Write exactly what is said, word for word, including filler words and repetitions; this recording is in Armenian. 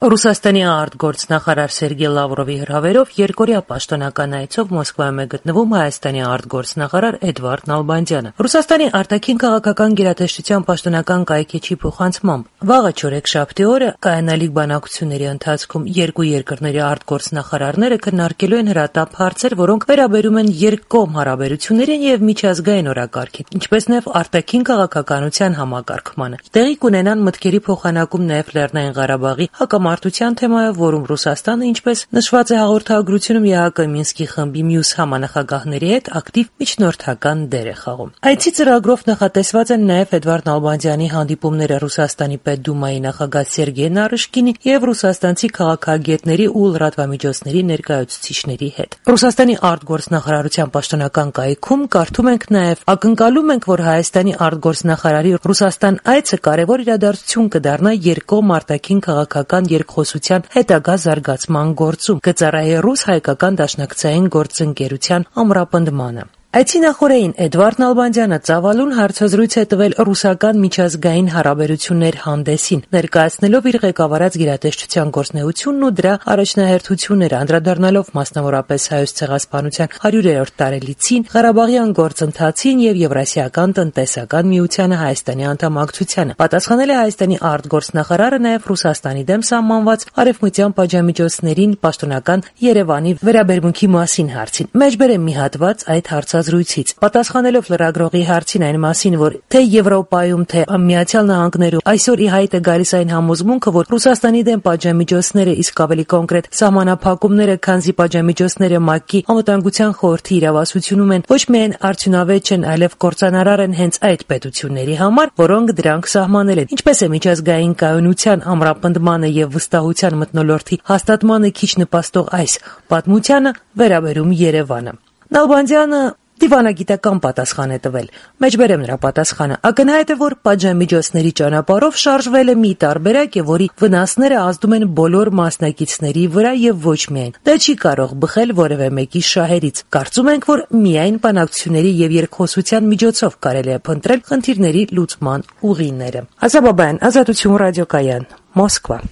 Ռուսաստանի արտգործնախարար Սերգեյ Լավրովի հրավերով երկօրյա պաշտոնական այցով Մոսկվայում է գտնվում Հայաստանի արտգործնախարար Էդվարդ Նալբանդյանը։ Ռուսաստանի արտաքին քաղաքական գերատեսչության պաշտոնական կայքէջի փոխանցմամբ վաղը չորեքշաբթի օրը կայանալիք բանակցությունների ընթացքում երկու երկրների արտգործնախարարները քննարկելու են հրատապ հարցեր, որոնք վերաբերում են երկկողմ հարաբերություններին եւ միջազգային օրակարգին, ինչպես նաեւ արտաքին քաղաքականության համակարգմանը։ Տեղի կունենան մտքերի փոխանակում նաեւ Լեռնային Ղարաբաղի հակամարտության թեմայով, որում Ռուսաստանը, ինչպես նշված է հաղորդագրությունում, ԵԱՀԿ Մինսկի խմբի մյուս համանախագահների հետ ակտիվ միջնորդական դեր է խաղում։ Այցի ծրագրով նախատեսված են նաև Էդվարդ Նալբանդյանի հանդիպումները Ռուսաստանի Պետդումայի նախագահ Սերգեյ Նարիշկինի եւ ռուսաստանցի քաղաքագետների ու լրատվամիջոցների ներկայացուցիչների հետ։ Ռուսաստանի արտգործնախարարության պաշտոնական կայքում կարդում ենք նաև. «Ակնկալում ենք, որ Հայաստանի արտգործնախարարի Ռուսաստան այցը կարևոր իրադարձություն կդառնա երկկողմ արտաքին քաղաքական երկխոսության հետագա զարգացման գործում, կծառայի ռուս-հայկական դաշնակցային գործընկերության ամրապնդմանը»։ Այցի նախօրեին Էդվարդ Նալբանդյանը ծավալուն հարցազրույց է տվել ռուսական միջազգային հարաբերություններ հանդեսին, ներկայացնելով իր ղեկավարած գերատեսչության գործունեությունն ու դրա առաջնահերթությունները, անդրադառնալով մասնավորապես Հայոց ցեղասպանության հարյուրերորդ տարելիցին, Ղարաբաղյան գործընթացին եւ Եվրասիական տնտեսական միությանը Հայաստանի անդամակցությանը։ Պատասխանել է Հայաստանի արտգործնախարարը նաեւ Ռուսաստանի դեմ սահմանված արևմտյան պատժամիջոցներին պաշտոնական Երևանի վերաբերմունքի մասին հարցին։ Մեջբերեմ մի հատված այդ հարցազրույցից։ Պատասխանելով լրագրողի հարցին այն մասին, որ թե Եվրոպայում, թե Միացյալ Նահանգներում այսօր ի հայտ է գալիս այն համոզմունքը, որ Ռուսաստանի դեմ պատժամիջոցները, իսկ ավելի կոնկրետ սահմանափակումները, քանզի պատժամիջոցները ՄԱԿ-ի անվտանգության խորհրդի իրավասությունում են, ոչ միայն արդյունավետ չեն, այլև կործանարար են հենց այդ պետությունների համար, որոնք դրանք սահմանել են։ Ինչպես է միջազգային կայունության, ամրապնդմանը եւ վստահության մթնոլորտի հաստատմանը քիչ նպաստող այս պատմությանը վերաբերում Երևանը։ Նալբանդյանը դիվանագիտական պատասխան է տվել։ Մեջբերեմ նրա պատասխանը. ակնհայտ է, որ պատժամիջոցների ճանապարհով շարժվել է մի տարբերակ, որի վնասները ազդում են բոլոր մասնակիցների վրա եւ ոչ միայն։ Դա չի կարող բխել որևէ մեկի շահերից։ Կարծում ենք, որ միայն բանակցությունների եւ երկխոսության միջոցով կարելի է փնտրել խնդիրների լուծման ուղիները։ Ազատություն ռադիոկայան, Մոսկվա։